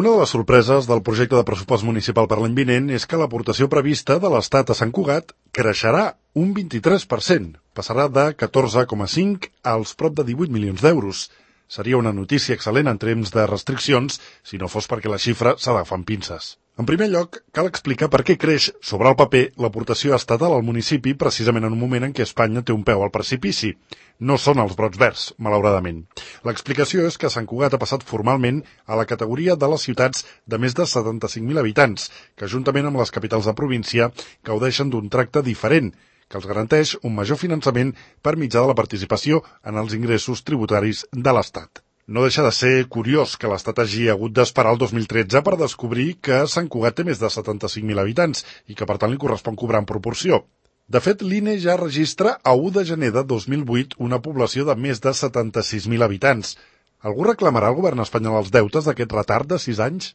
Una de les sorpreses del projecte de pressupost municipal per l'any vinent és que l'aportació prevista de l'Estat a Sant Cugat creixerà un 23%. Passarà de 14,5 als prop de 18 milions d'euros. Seria una notícia excel·lent en temps de restriccions si no fos perquè la xifra s'agafa amb pinces. En primer lloc, cal explicar per què creix sobre el paper l'aportació estatal al municipi precisament en un moment en què Espanya té un peu al precipici. No són els brots verds, malauradament. L'explicació és que Sant Cugat ha passat formalment a la categoria de les ciutats de més de 75.000 habitants, que juntament amb les capitals de província gaudeixen d'un tracte diferent, que els garanteix un major finançament per mitjà de la participació en els ingressos tributaris de l'Estat. No deixa de ser curiós que l'Estat hagi hagut d'esperar el 2013 per descobrir que Sant Cugat té més de 75.000 habitants i que per tant li correspon cobrar en proporció. De fet, l'INE ja registra a 1 de gener de 2008 una població de més de 76.000 habitants. Algú reclamarà al govern espanyol els deutes d'aquest retard de 6 anys?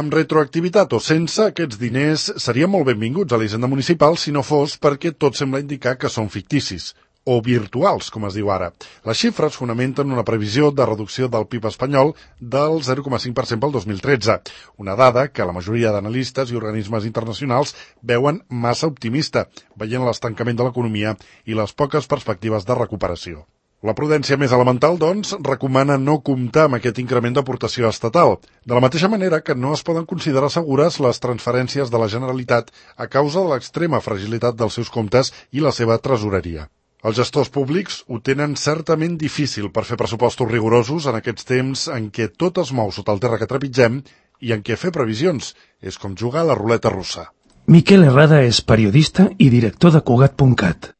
Amb retroactivitat o sense, aquests diners serien molt benvinguts a l'Hisenda Municipal si no fos perquè tot sembla indicar que són ficticis, o virtuals, com es diu ara. Les xifres fonamenten una previsió de reducció del PIB espanyol del 0,5% pel 2013, una dada que la majoria d'analistes i organismes internacionals veuen massa optimista, veient l'estancament de l'economia i les poques perspectives de recuperació. La prudència més elemental, doncs, recomana no comptar amb aquest increment d'aportació estatal, de la mateixa manera que no es poden considerar segures les transferències de la Generalitat a causa de l'extrema fragilitat dels seus comptes i la seva tresoreria. Els gestors públics ho tenen certament difícil per fer pressupostos rigorosos en aquests temps en què tot es mou sota el terra que trepitgem i en què fer previsions és com jugar a la ruleta russa. Miquel Herrada és periodista i director de Cugat.cat.